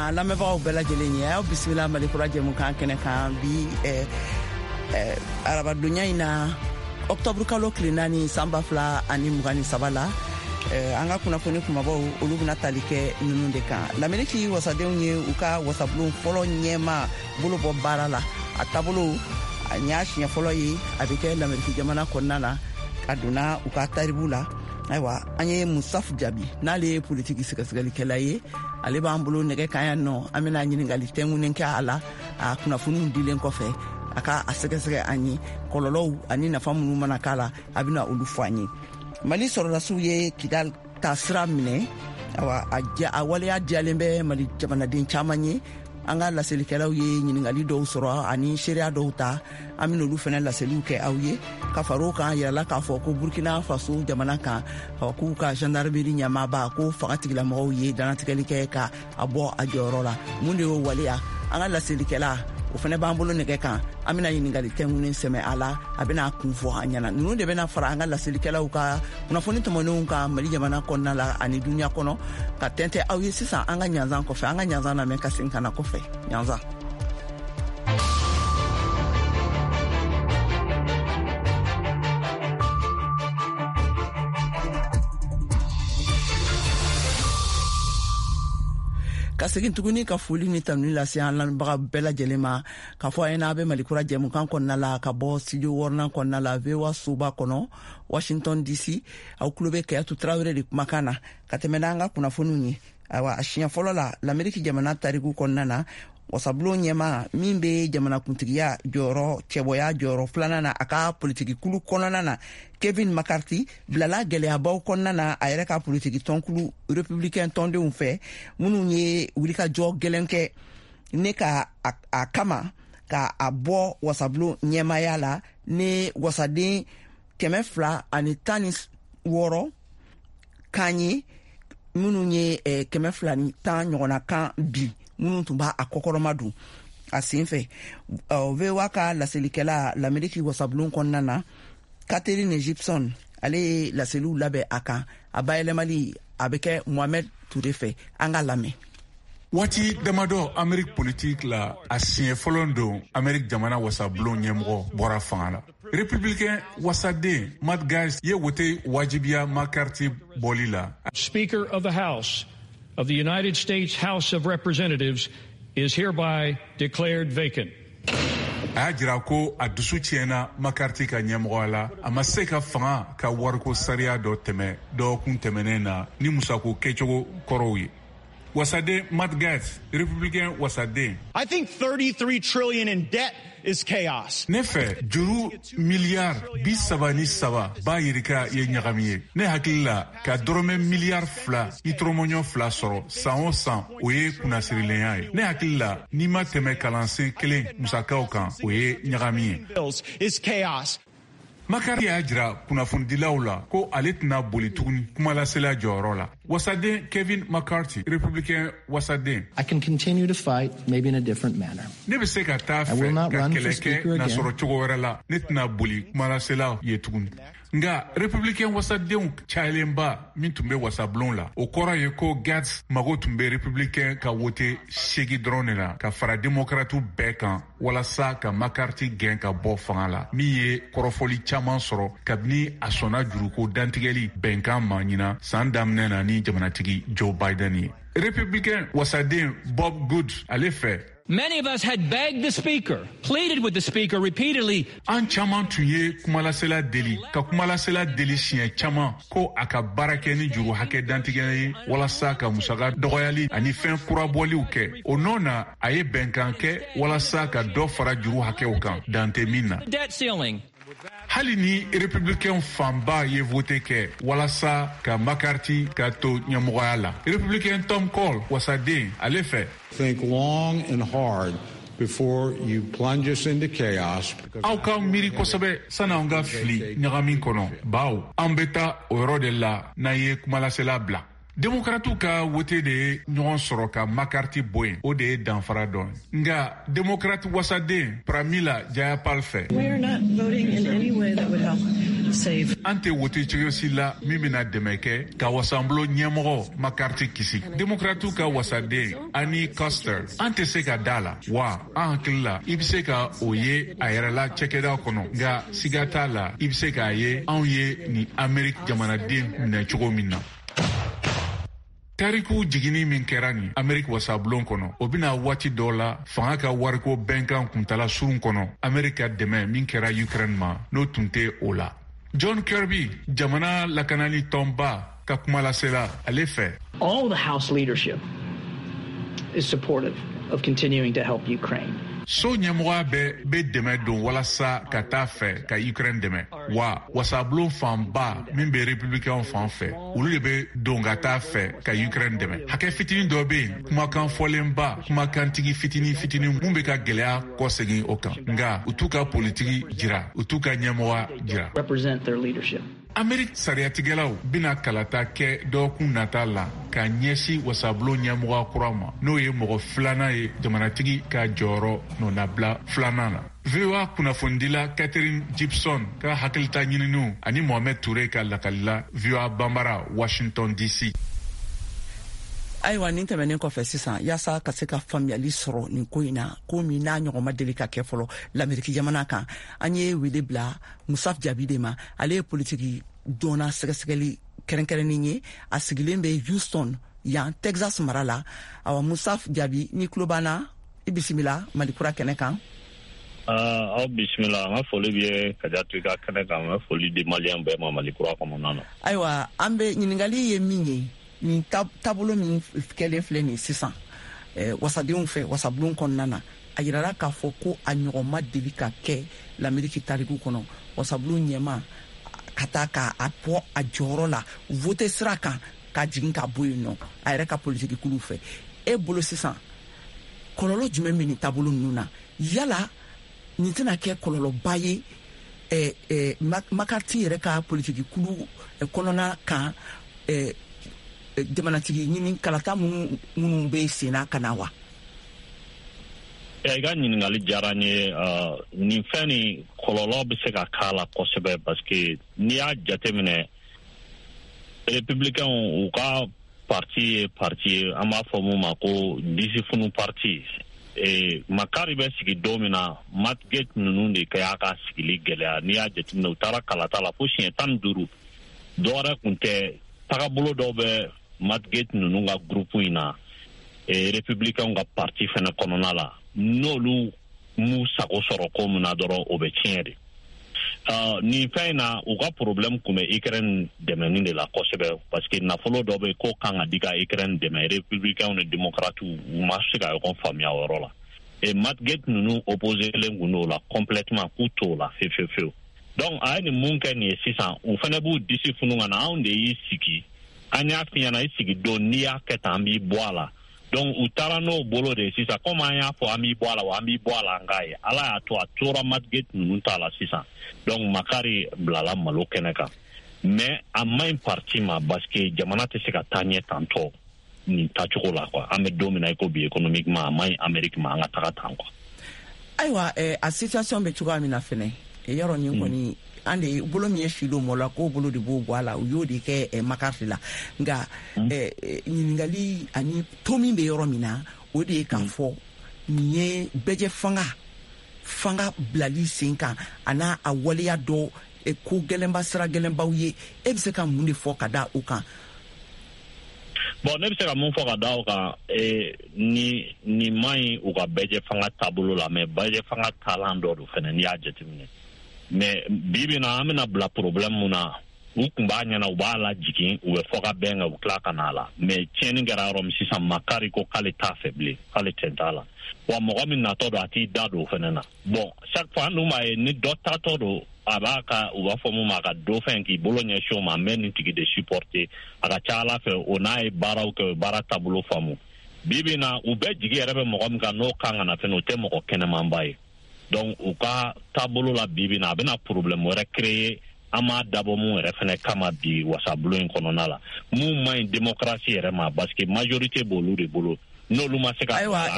an lamɛnbagaw bɛɛ lajɛlen ye. Aw bisimila Mali Kura jɛmukan kɛnɛ kan bi arabadonya in na, ɔktɔburu kalo tile 4, san 2023 la. An ka kunnafoni kumabaw, olu bɛna tali kɛ ninnu de kan: Lameriki wasadenw ye u ka wasabulon fɔlɔ ɲɛma bolo bɔ baara la. A taabolo a y'a siɲɛ fɔlɔ ye a bɛ kɛ Lameriki jamana kɔnɔna na a donna u ka taribu la. Ayiwa, an ye Musaf Jaabi, n'ale ye politiki sɛgɛsɛgɛlikɛla ye, ale b'an bolo nɛgɛ kan yan nɔ. An bɛna ɲininkali tɛnkunnen kɛ a la. A kunnafoniw dilen kɔfɛ, a ka a sɛgɛsɛgɛ an ye, kɔlɔlɔw ani nafa minnu mana k'a la, a bɛna olu fɔ an ye. Mali sɔrɔdasiw ye Kidal ta sira minɛ. Awa, a waleya diyalen bɛ Mali jamanaden caman ye. An ka laselikɛlaw ye ɲiningali dɔw sɔrɔ ani seereya dɔw ta, an bɛna olu fana laseliw kɛ aw ye. Ka fara o kan, yirala k'a fɔ ko Burkina Faso jamana kan, k'u ka gendarmerie ɲɛmaaba ko fanga tigilamɔgɔw ye danatigɛli kɛ ka a bɔ a jɔyɔrɔ la. Mun de y'o waleya? An ka laselikɛla, o fana b'an bolo nɛgɛ kan, an bɛna ɲininkali tɛnkunnen sɛmɛ a la, a bɛna kun fɔ an ɲɛna. Ninnu de bɛna fara an ka laselikɛlaw ka kunnafoni tɔmɔnenw kan Mali jamana kɔnɔna la ani duniɲa kɔnɔ, ka tɛntɛ aw ye sisan an ka ɲanzan kɔfɛ. An ka ɲanzan lamɛn ka segin ka na kɔfɛ ɲanzan. Ka segin tuguni ka foli ni tanuni lase an lamɛnbaga bɛɛ lajɛlen ma, k'a fɔ a ɲɛna, a bɛ Malikura jɛmukan kɔnɔna la ka bɔ studio wɔɔrɔnan kɔnɔna la, VOA soba kɔnɔ, Washington DC. Aw tulo bɛ Kayatu Tarawele de kumakan na. Ka tɛmɛ n'an ka kunnafoniw ye, ayiwa, a siɲɛ fɔlɔ la Lameriki jamana tariku kɔnɔna na, wasabulon ɲɛma min bɛ jamanakuntigiya jɔyɔrɔ cɛbɔya jɔyɔrɔ filanan na a ka politiki kulu kɔnɔna na, Kevin McCarthy, bilala gɛlɛyabaw kɔnɔna na a yɛrɛ ka politiki tɔnkulu Républicain tɔndenw fɛ, minnu ye wulikajɔ gɛlɛn kɛ ne ka a kama ka a bɔ wasabulon ɲɛmaya la, ni wasaden 216 kan ye, minnu ye 210 ɲɔgɔnna kan bi, minnu tun b'a a kɔkɔrɔma don a sen fɛ. VOA ka laselikɛla Lameriki wasabulon kɔnɔna na, Catherine Gibson, ale ye laseliw labɛn a kan. A bayɛlɛmali a bɛ kɛ Mohamed Toure fɛ. An ka lamɛn. Waati damadɔ Ameriki politiki la, a siɲɛ fɔlɔ don Ameriki jamana wasabulon ɲɛmɔgɔ bɔra fanga la. Républicain wasaden Matt Gaetz ye wote wajibiya McCarthy bɔli la. Speaker of the House of the United States House of Representatives is hereby declared vacant. A y'a jira ko a dusu tiɲɛna McCarthy ka ɲɛmɔgɔya la. A ma se ka fanga ka wariko sariya dɔ tɛmɛ dɔgɔkun tɛmɛnen na ni musako kɛcogo kɔrɔw ye. Wasaden Matt Gaetz, Républicain wasaden. I think 33 trillion in debt is chaos. Ne fɛ, juru miliyari 33 b'a yirika ye ɲagami ye. Ne hakili la, ka dɔrɔmɛ miliyari 2 i tɔrɔmɔɲɔ 2 sɔrɔ san o san, o ye kunnasirilenya ye. Ne hakili la, n'i ma tɛmɛ kalansen kelen musakaw kan, o ye ɲagami ye. Bills is chaos. McCarthy y'a jira kunnafonidilaw la ko ale tɛna boli tuguni kumalasela jɔyɔrɔ la. Wasaden Kevin McCarthy, Républicain wasaden. I can continue to fight, maybe in a different manner. Ne bɛ se ka taa fɛ ka kɛlɛ kɛ nasɔrɔ cogo wɛrɛ la. Ne tɛna boli kumalasela ye tuguni. Nka Républicain wasadenw cayalenba min tun bɛ wasabulon la, o kɔrɔ ye ko Gaetz mago tun bɛ Républicain ka wote 8 dɔrɔn de la ka fara Démocrate bɛɛ kan walasa ka McCarthy gɛn ka bɔ fanga la, min ye kɔrɔfɔli caman sɔrɔ kabini a sɔnna juruko dantigɛli bɛnkan ma ɲina san daminɛ na ni jamanatigi Joe Biden ye. Républicain wasaden Bob Good, ale fɛ. Many of us had begged the speaker, pleaded with the speaker repeatedly. An caman tun ye kumalasela deli, ka kumalasela deli siɲɛ caman ko a ka baara kɛ ni juru hakɛ dantigɛ ye walasa ka musaka dɔgɔyali ani fɛn kurabɔliw kɛ. O nɔ na, a ye bɛnkan kɛ walasa ka dɔ fara juru hakɛw kan dan tɛ min na. Debt ceiling. Hali ni Républicain fanba ye vote kɛ walasa ka McCarthy ka to ɲɛmɔgɔya la, Républicain Tom Cole wasaden, ale fɛ. Think long and hard before you plunge us into chaos. Aw ka miiri kosɛbɛ san'anw ka fili ɲagami kɔnɔ, bawo an bɛ taa o yɔrɔ de la n'an ye kumalasela bila. Demokratiw ka wote de ye ɲɔgɔn sɔrɔ ka McCarthy bɔ yen, o de ye danfara dɔ ye. Nka Demokrati wasaden Pramila Jayapal fɛ. We are not voting in any way that would help save. An tɛ wote cogo si la min bɛna dɛmɛ kɛ ka wasabulon ɲɛmɔgɔ McCarthy kisi. Demokratiw ka wasaden Annie Kuster, an tɛ se ka da la wa an hakili la i bɛ se ka o ye a yɛrɛ la cakɛda kɔnɔ, nka siga t'a la i bɛ se k'a ye anw ye nin Ameriki jamanaden minɛ cogo min na. Tariku jiginni min kɛra nin Ameriki wasabulon kɔnɔ, o bɛna waati dɔ la fanga ka wariko bɛnkan kuntala surun kɔnɔ, Ameriki ka dɛmɛ min kɛra Ukraine ma, n'o tun tɛ o la. John Kirby, jamana lakanali tɔnba ka kumalasela, ale fɛ. All the House leadership is supportive of continuing to help Ukraine. So ɲɛmɔgɔya bɛɛ bɛ dɛmɛ don walasa ka taa fɛ ka Ukraine dɛmɛ, wa wasabulon fanba min bɛ Republicain fan fɛ, olu de bɛ don ka taa fɛ ka Ukraine dɛmɛ. Hakɛ fitinin dɔ bɛ yen, kumakan fɔlenba, kumakantigi fitinin fitinin mun bɛ ka gɛlɛya kɔsegin o kan, nka u t'u ka politiki jira, u t'u ka ɲɛmɔgɔya jira. Represent their leadership. Ameriki sariyatigɛlaw bɛna kalata kɛ dɔgɔkun nata la ka ɲɛsin wasabulon ɲɛmɔgɔ kura ma, n'o ye mɔgɔ filanan ye jamanatigi ka jɔyɔrɔ nɔnabila filanan na. VOA kunnafonidila Catherine Gibson ka hakilita ɲininiw ani Mohamed Touré ka lakalila, VOA Bambara, Washington DC. Ayiwa, nin tɛmɛnen kɔfɛ sisan, yaasa ka se ka faamuyali sɔrɔ nin ko in na, ko min n'a ɲɔgɔn ma deli ka kɛ fɔlɔ Lameriki jamana kan, an ye wele bila Musaf Jaabi de ma. Ale ye politiki dɔnna sɛgɛsɛgɛli kɛrɛnkɛrɛnnen ye, a sigilen bɛ Houston yan, Texas mara la. Awa, Musaf Jaabi, ni tulo b'an na, i bisimila Malikura kɛnɛ kan. Aw bisimila. An ka foli bɛ ye ka to i ka kɛnɛ kan. An ka foli di Maliyɛn bɛɛ ma Malikura kɔnɔna na. Ayiwa, an bɛ ɲininkali ye min ye, nin taabolo min kɛlen filɛ nin sisan wasadenw fɛ wasabulon kɔnɔna na, a yirala k'a fɔ ko a ɲɔgɔn ma deli ka kɛ Lameriki tariku kɔnɔ, wasabulon ɲɛma ka taa k'a bɔ a jɔyɔrɔ la vote sira kan, ka jigin ka bɔ yen nɔ a yɛrɛ ka politiki kuluw fɛ. E bolo sisan, kɔlɔlɔ jumɛn bɛ nin taabolo ninnu na? Yala nin tɛna kɛ kɔlɔlɔba ye McCarthy yɛrɛ ka politiki kulu kɔnɔna kan, jamanatigi ɲini kalata minnu bɛ senna ka na wa? I ka ɲininkali diyara n ye. Nin fɛn nin, kɔlɔlɔ bɛ se ka k'a la kosɛbɛ, parce que n'i y'a jateminɛ, Républicain u ka parti ye parti ye an b'a fɔ mun ma ko disifunu parti. McCarthy bɛ sigi don min na, Matt Gaetz ninnu de kɛ y'a ka sigili gɛlɛya. N'i y'a jateminɛ, u taara kalata la fo siɲɛ 15. Dɔwɛrɛ kun tɛ, tagabolo dɔw bɛ Matt Gaetz ninnu ka groupe in na, Républicain ka parti fɛnɛ kɔnɔna la, n'olu m'u sago sɔrɔ ko min na dɔrɔn, o bɛ tiɲɛ de. Nin fɛn in na, u ka problème kun bɛ Ukraine dɛmɛni de la kosɛbɛ, parce que nafolo dɔ bɛ ko kan ka di ka Ukraine dɛmɛ. Républicain ni Démocrates, u ma se ka ɲɔgɔn faamuya o yɔrɔ la. Et Matt Gaetz ninnu opposé len kun don o la complètement, k'u t'o la fewu fewu fewu. Donc a ye nin mun kɛ nin ye sisan, u fɛnɛ b'u disi funu ka na. Anw de y'i sigi, an y'a f'i ɲɛna i sigi don, n'i y'a kɛ tan, an b'i bɔ a la. Donc u taara n'o bolo de ye sisan. Komi an y'a fɔ an b'i bɔ a la wa, an b'i bɔ a la, an k'a ye Ala y'a to a tora Matt Gaetz ninnu ta la sisan. Donc McCarthy bilala malo kɛnɛ kan, mais a man ɲi parti ma, parce que jamana tɛ se ka taa ɲɛ tantɔ nin tacogo la quoi. An bɛ don min na i ko bi, économiquement a man ɲi Amérique ma an ka taga tan quoi. Ayiwa, a situation bɛ cogoya min na fɛnɛ, yɔrɔ nin kɔni, an de bolo min ye si don mɔ la, k'o bolo de b'o bɔ a la, u y'o de kɛ McCarthy la. Nka ɲininkali ani to min bɛ yɔrɔ min na, o de ye k'a fɔ nin ye bɛjɛ fanga bilali sen kan, a n'a a waleya dɔ ko gɛlɛnba, sira gɛlɛnbaw ye. E bɛ se ka mun de fɔ ka da o kan? Bon, ne bɛ se ka mun fɔ ka da o kan? Ni man ɲi u ka bɛjɛ fanga taabolo la, mais bɛjɛ fanga taalan dɔ don fɛnɛ n'i y'a jateminɛ. Mais bi bi na, an bɛna bila problème mun na, u kun b'a ɲɛna u b'a lajigin, u bɛ fɔ ka bɛn kan, u tila ka na a la. Mais tiɲɛni kɛra yɔrɔ min sisan, McCarthy ko k'ale t'a fɛ bilen, k'ale tɛ t'a la wa. Mɔgɔ min natɔ don, a t'i da don o fɛnɛ na. Bon, chaque fois an dun b'a ye, ni dɔ tatɔ don, a b'a ka, u b'a fɔ mun ma, a ka dɔ fɛn k'i bolo ɲɛsin o ma, n bɛ nin tigi de supporter. A ka ca Ala fɛ, o n'a ye baaraw kɛ, o ye baara taabolo faamu. Bi bi na, u bɛɛ jigi yɛrɛ bɛ mɔgɔ min kan, n'o kan ka na fɛnɛ, o tɛ mɔgɔ kɛnɛmanba ye. Donc u ka taabolo la bi bi na, a bɛna problème wɛrɛ créer an m'a dabɔ mun yɛrɛ fɛnɛ kama bi wasabulon in kɔnɔna la, mun man ɲi démocratie yɛrɛ ma, parce que majorité b'olu de bolo, n'olu ma se ka Ayiwa.